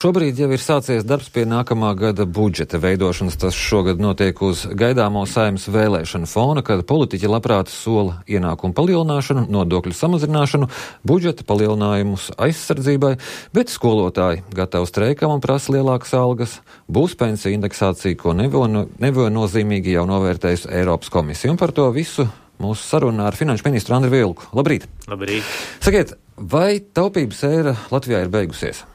Šobrīd jau ir sācies darbs pie nākamā gada budžeta veidošanas. Tas šogad notiek uz gaidāmo Saeimas vēlēšanu fona, kad politiķi labprāt sola ienākumu palielināšanu, nodokļu samazināšanu, budžeta palielinājumus aizsardzībai, bet skolotāji gatavi streikam un prasa lielākas algas. Būs pensiju indeksācija, ko neviennozīmīgi jau novērtējusi Eiropas komisija. Un par to visu mūsu sarunā ar finanšu ministru Andriu Vilku. Labrīt! Labrīt! Sakiet, vai taupības ēra Latvijā ir beigusies?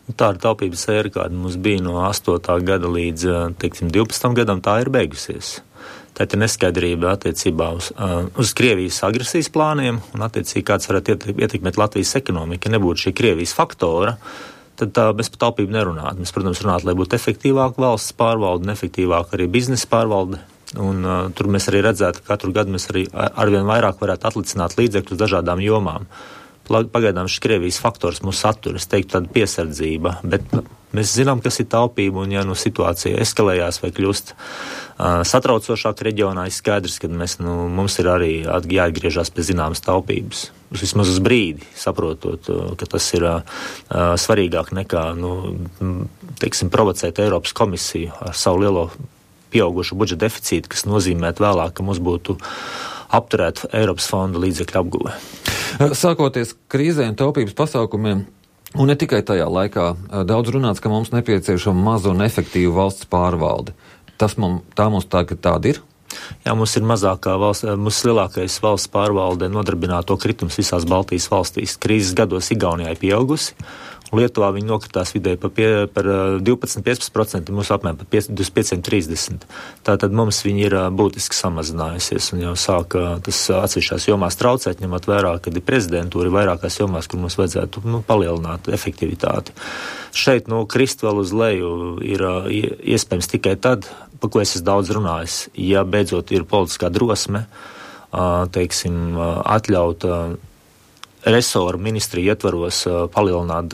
Tā ir taupības ēra, kāda mums bija no 8. gada līdz, 12. gadam, tā ir beigusies. Tā ir neskaidrība attiecībā uz Krievijas agresijas plāniem un attiecīgi kāds varētu ietekmēt Latvijas ekonomiku. Ja nebūtu šī Krievijas faktora, tad mēs par taupību nerunātu. Mēs, protams, runātu, lai būtu efektīvāka valsts pārvalde un efektīvāka arī biznesa pārvalde. Un tur mēs arī redzētu, ka katru gadu mēs arī arvien vairāk varētu atlicināt līdzekļus dažādām jomām. Pagaidām šis Krievijas faktors mūs satur, es teiktu, tāda piesardzība, bet mēs zinām, kas ir taupība, un ja situācija eskalējās vai kļūst satraucošāk reģionā, ir skaidrs, ka mums ir arī jāatgriežās pie zināmas taupības. Vismaz uz brīdi, saprotot, ka tas ir svarīgāk nekā, provocēt Eiropas komisiju ar savu lielo pieaugušu budžeta deficītu, kas nozīmētu vēlāk, ka mums būtu apturēt Eiropas fonda līdzekļu apguve. Sākoties krīzē un taupības pasākumiem, un ne tikai tajā laikā, daudz runāts, ka mums nepieciešama maza un efektīva valsts pārvalde. Tā mums tagad tāda ir? Jā, mums ir mums lielākais valsts pārvalde nodarbināto kritums visās Baltijas valstīs. Krīzes gados Igaunijā ir pieaugusi. Lietuvā viņi nokritās vidēji par 12-15%, mums apmēram par 25-30%. Tātad mums viņi ir būtiski samazinājusies un jau sāka tas atsevišķās jomās traucēt, ņemot vērā, kad ir prezidentūra vairākās jomās, kur mums vajadzētu palielināt efektivitāti. Šeit krist vēl uz leju ir iespējams tikai tad, par ko es esmu daudz runājis, ja beidzot ir politiskā drosme, atļaut resoru ministriju ietvaros palielināt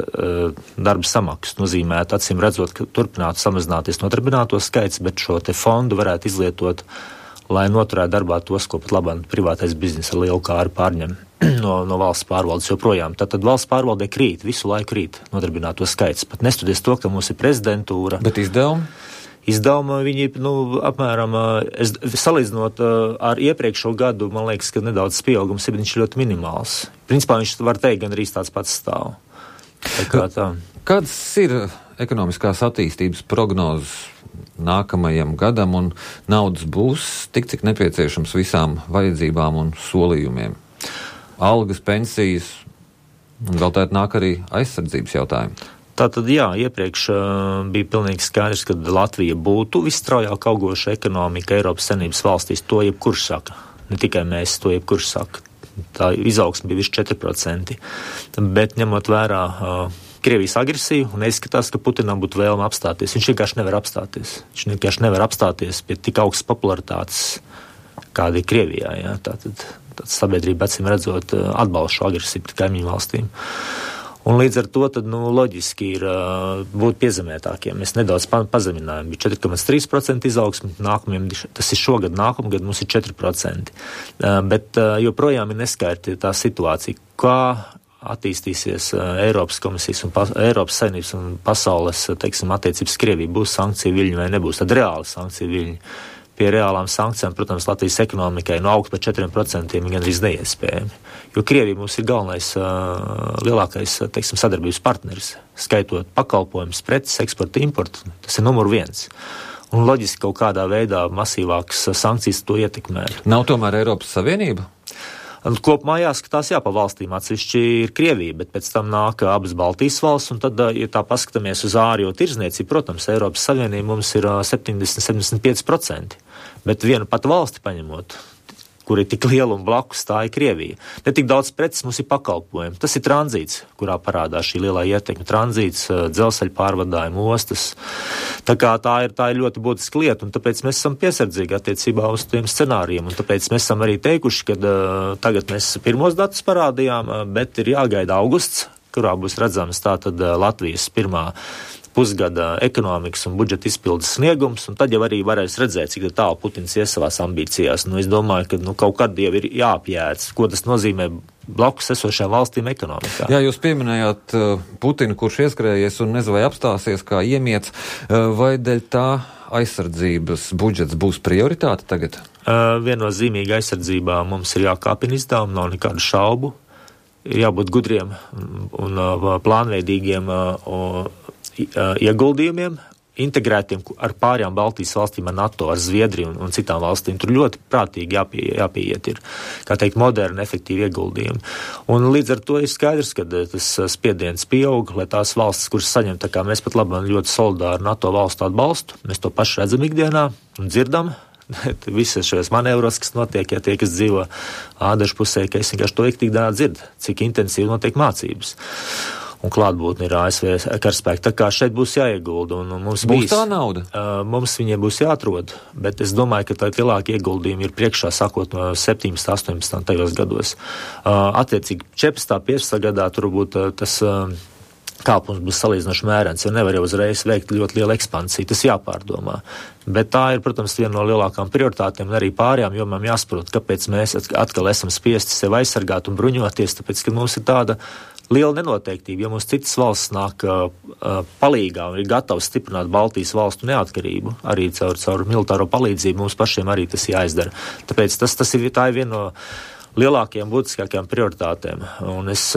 darba samaksu. Nozīmētu, acīm redzot, ka turpinātu samazināties nodarbināto skaits, bet šo te fondu varētu izlietot, lai noturētu darbā tos, ko pat labāk privātais biznesa ar lielu kāru pārņem no valsts pārvaldes joprojām. Tātad valsts pārvaldē krīt, visu laiku krīt nodarbināto skaits. Pat nestoties to, ka mums ir prezidentūra. Bet izdevumi? Izdevumi viņi, apmēram, salīdzinot ar iepriekšo gadu, man liekas, ka nedaudz pieaugums ir ļoti minimāls. Principā viņš var teikt, gan arī tāds pats stāv. Kādas ir ekonomiskās attīstības prognozes nākamajam gadam un naudas būs tik, cik nepieciešams visām vajadzībām un solījumiem? Algas, pensijas, un vēl tēt nāk arī aizsardzības jautājumi. Tātad, jā, iepriekš bija pilnīgi skaidrs, ka Latvija būtu visstraujāk augoša ekonomika Eiropas Savienības valstīs. To jebkurš saka. Ne tikai mēs, to jebkurš saka. Tā izaugsme bija virs 4%. Bet ņemot vērā Krievijas agresiju, un izskatās, ka Putinam būtu vēlme apstāties. Viņš vienkārši nevar apstāties. Viņš vienkārši nevar apstāties pie tik augstas popularitātes, kāda ir Krievijā. Jā. Tātad sabiedrība, acīm redzot, atbalsta šo agresiju pret kaimiņu valstīm. Un līdz ar to tad, loģiski ir būt piezemētākiem. Mēs nedaudz pazeminājām, bija 4,3% izaugsme, tas ir šogad, nākamgad mums ir 4%. Bet joprojām ir neskaidra tā situācija, kā attīstīsies Eiropas komisijas un Eiropas Savienības un pasaules, attiecības Krievija, būs sankcija viļņi vai nebūs, tad reāli sankcija viļņi. Pie reālām sankcijām, protams, Latvijas ekonomikai augt par 4% ir gan arī neiespējami. Jo Krievija mums ir galvenais, lielākais, sadarbības partneris, skaitot pakalpojumus, preces, eksportu, importu. Tas ir numur 1. Un loģiski kaut kādā veidā masīvākas sankcijas to ietekmē. Nav tomēr Eiropas Savienība? Kopumā jāskatās, pa valstīm atsevišķi ir Krievija, bet pēc tam nāk abas Baltijas valsts, un tad, ja tā paskatāmies uz ārējo tirdzniecību, protams, Eiropas Savienība mums ir 70-75%, bet vienu pat valsti paņemot, kur ir tik liela un blakus, tā ir Krievija. Ne tik daudz preces mums ir pakalpojumi. Tas ir tranzīts, kurā parādās šī lielā ietekme. Tranzīts, dzelzceļa pārvadājumi, ostas. Tā kā tā ir ļoti būtiska lieta, un tāpēc mēs esam piesardzīgi attiecībā uz tiem scenārijiem, un tāpēc mēs esam arī teikuši, ka tagad mēs pirmos datus parādījām, bet ir jāgaida augusts, kurā būs redzams tātad Latvijas pirmā pusgada ekonomikas un budžeta izpildes sniegums, un tad jau arī varēs redzēt, cik tālu Putins ies savās ambīcijās. Es domāju, ka kaut kad jau ir jāapjēdz, ko tas nozīmē blakus esošajām valstīm ekonomikā. Jā, jūs pieminējāt Putinu, kurš ieskrējies un nezinu, vai apstāsies kā iemiets, vai dēļ tā aizsardzības budžets būs prioritāte tagad? Viennozīmīga aizsardzībā mums ir jākāpina izdevumi, nav nekādu šaubu. Ir jābūt gudriem un plānveidīgiem ieguldījumiem, integrētiem ar pārējām Baltijas valstīm, ar NATO, ar Zviedriju un citām valstīm. Tur ļoti prātīgi jāpieiet ir, kā teikt, moderni, efektīvi ieguldījumi. Un līdz ar to ir skaidrs, ka tas spiediens pieaug, lai tās valstis, kuras saņem, tā kā mēs pat labāk ļoti solidāri NATO valstu atbalstu, mēs to pašu redzam ikdienā un dzirdam. Visas šajos manevros, kas notiek, ja tie, kas dzīvo ādašu pusē, ka es vienkārši to ikdienā dzirdu, cik intensīvi notiek mācības. Un klātbūtne ir ASV karaspēki. Tā kā šeit būs jāiegulda. Mums būs tā nauda? Mums viņiem būs jāatrod, bet es domāju, ka tā lielākie ieguldījumi ir priekšā sākot no 17, 18 tajos gados. Attiecīgi 14, 15 gadā tur būtu tas kāpums būs salīdzinoši mērens, jo nevar jau uzreiz veikt ļoti lielu ekspansiju, tas jāpārdomā. Bet tā ir, protams, viena no lielākām prioritātēm un arī pārējām jomām jāsaprot, kāpēc mēs atkal esam spiesti sevi aizsargāt un bruņoties, tāpēc, ka mums ir tāda liela nenoteiktība, ja mums citas valsts nāk palīgā un ir gatavs stiprināt Baltijas valstu neatkarību, arī caur militāro palīdzību, mums pašiem arī tas jāizdara. Tāpēc tā ir viena no lielākajām, būtiskākajām prioritātēm, un es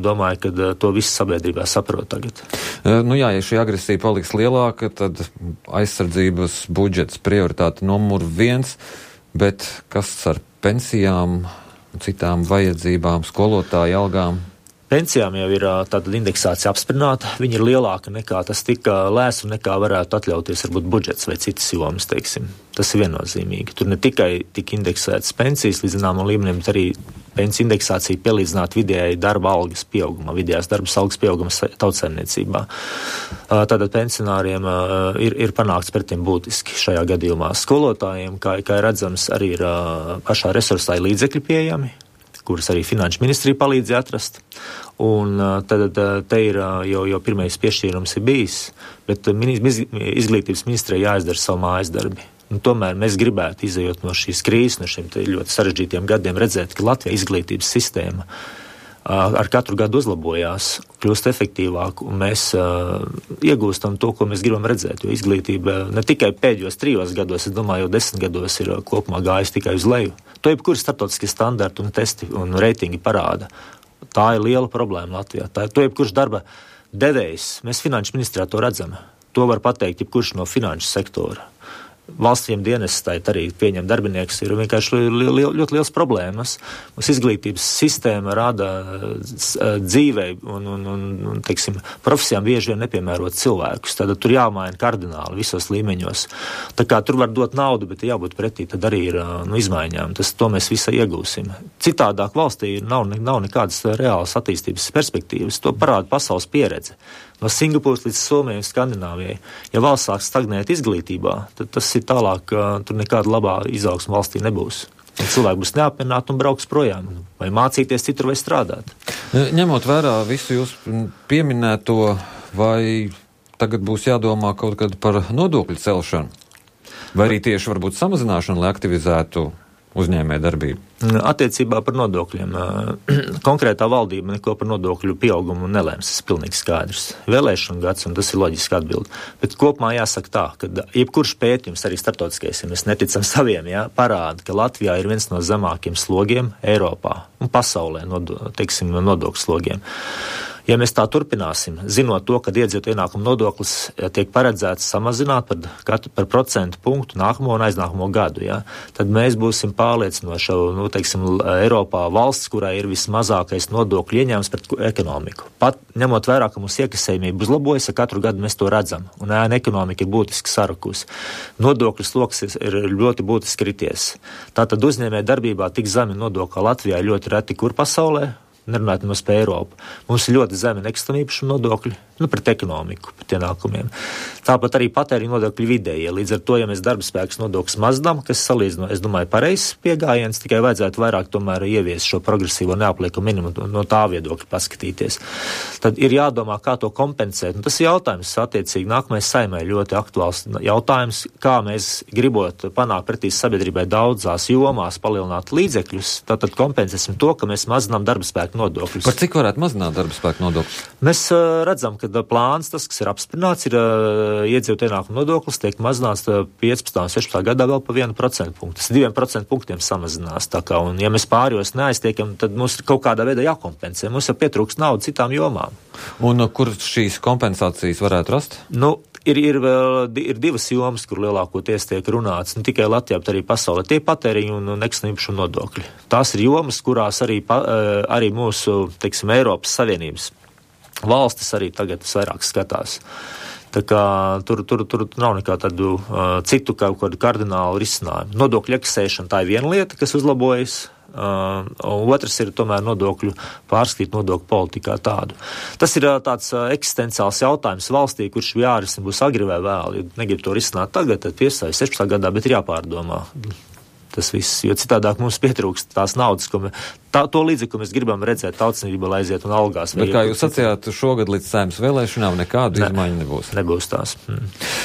domāju, ka to visu sabiedrībā saprot tagad. Nu jā, ja šī agresija paliks lielāka, tad aizsardzības budžets prioritāte numur 1, bet kas ar pensijām, citām vajadzībām, skolotāju algām? Pensijām jau ir tāda indeksācija apsprināta, viņa ir lielāka nekā tas tika lēsts un nekā varētu atļauties varbūt budžets vai citas jomas, teiksim. Tas ir viennozīmīgi. Tur ne tikai tika indeksētas pensijas līdz zināmam līmenim, bet arī pensiju indeksācija pielīdzināt vidējai darba algas pieaugumā, vidējās darba algas pieauguma tautsaimniecībā. Tātad pensionāriem ir panākts pretiem būtiski šajā gadījumā. Skolotājiem, kā redzams, arī ir pašā resursā līdzekļi pieejami, kuras arī Finanšu ministrija palīdzēja atrast. Un tad te ir jau pirmais piešķīrums ir bijis, bet izglītības ministrija jāizdara savu mājas darbi. Un tomēr mēs gribētu, izejot no šīs krīzes, no šiem ļoti sarežģītiem gadiem, redzēt, ka Latvijas izglītības sistēma ar katru gadu uzlabojās, kļūst efektīvāk, un mēs iegūstam to, ko mēs gribam redzēt, jo izglītība ne tikai pēdējos 3 gados, es domāju, jau 10 gados ir kopumā gājis tikai uz leju. To jebkuri starptautiskie standarti un testi un reitingi parāda. Tā ir liela problēma Latvijā. To jebkurš darba devējs, mēs Finanšu ministrijā to redzam. To var pateikt jebkurš no finanšu sektora. Valstīm dienestai arī pieņem darbinieks ir vienkārši ļoti liels problēmas. Mums izglītības sistēma rada dzīvei un teiksim, profesijām bieži vien nepiemērot cilvēkus. Tad tur jāmaina kardināli visos līmeņos. Tā kā tur var dot naudu, bet jābūt pretī, tad arī ir izmaiņām. To mēs visai iegūsim. Citādāk valstī nav nekādas reālas attīstības perspektīvas. To parāda pasaules pieredze. No Singapūras līdz Somijai un Skandināvijai. Ja valsts sāk stagnēt izglītībā, tad tas ir tālāk, tur nekāda labā izaugsma valstī nebūs. Un cilvēki būs neapmierināti un brauks projām, vai mācīties citur vai strādāt. Ņemot vērā visu jūs pieminēto, vai tagad būs jādomā kaut kad par nodokļu celšanu? Vai arī tieši varbūt samazināšanu, lai aktivizētu uzņēmē darbību? Attiecībā par nodokļiem. Konkrētā valdība neko par nodokļu pieaugumu nelēms, tas ir pilnīgi skaidrs. Vēlēšana gads, un tas ir loģiski atbild. Bet kopumā jāsaka tā, ka jebkurš pētījums, arī starptautiskais, ja mēs neticam saviem, parāda, ka Latvijā ir viens no zemākiem slogiem Eiropā un pasaulē, nodokļu slogiem. Ja mēs tā turpināsim, zinot to, ka iedzīvotāju ienākuma nodoklis tiek paredzēts samazināt par procentu punktu nākamo un aiznākamo gadu, tad mēs būsim pārliecinoši, Eiropā valsts, kurā ir vismazākais nodokļu ieņēmums pret ekonomiku. Pat ņemot vērā, ka mums iekasējumība uzlabojas, katru gadu mēs to redzam, un ekonomika ir būtiski sarukusi. Nodokļu sloks ir ļoti būtiski krities. Tātad uzņēmē darbībā tik zemi nodokļi Latvijā ir ļoti reti kur pasaulē. Nerunājot mums par Eiropu. Mums ir ļoti zemi nekustamīpašuma nodokļi. pret ekonomiku, pret ienākumiem. Tāpat arī patēriņa nodokļu vidējie. Līdz ar to, ja mēs darba spēks nodokļus mazinām, kas salīdzino, es domāju, pareizs pieejams, tikai vajadzētu vairāk tomēr ieviest šo progresīvo neapliekumu minimumu no tā viedokļa paskatīties. Tad ir jādomā, kā to kompensēt. Un tas ir jautājums, attiecīgi, nākamais Saeimai ļoti aktuāls jautājums, kā mēs gribot panākt pretī sabiedrībai daudzās jomās palielināt līdzekļus, tātad kompensēsim to, ka mēs mazinām darba spēku nodokļus. Par cik varētu mazināt darba spēku nodokļus? Mēs redzam, ka plāns, tas, kas ir apsprināts, ir iedzīvotāju ienākumu nodoklis, tiek mazināts 15. un 16. gadā vēl pa 1% punktu. Tas 2% punktiem samazinās. Tā kā, un ja mēs pārējos neaiztiekam, tad mums ir kaut kādā veidā jākompensē. Mums jau pietrūkst naudu citām jomām. Un kur šīs kompensācijas varētu rast? Ir divas jomas, kur lielākoties tiek runāts, ne tikai Latvijā, bet arī pasaulē. Tie patēriņu un nekustamā īpašuma nodokļi. Tās ir jomas, kurās arī mūsu, teiksim, Eiropas Savienības valstis arī tagad vairāk skatās. Tā kā tur nav nekā tādu citu kaut kādu kardinālu risinājumu. Nodokļu iekasēšana, tā ir viena lieta, kas uzlabojas. Otrs ir tomēr nodokļu pārskatīt nodokļu politikā tādu. Tas ir tāds eksistenciāls jautājums valstī, kurš jārisina būs agri vai vēl. Ja negrib to risināt tagad, tad 15. 16. gadā, bet ir jāpārdomā tas viss, jo citādāk mums pietrūkst tās naudas, to līdzekļu, ko mēs gribam redzēt tautsniecībā, lai aiziet un algās. Bet kā jūs sacījāt, šogad līdz Saeimas vēlēšanām nekādu izmaiņu nebūs. Nebūs tās.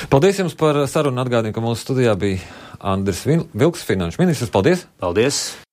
Paldies jums par sarunu. Atgādinu, ka mūsu studijā bija Andris Vilks, finanšu ministrs. Paldies! Paldies!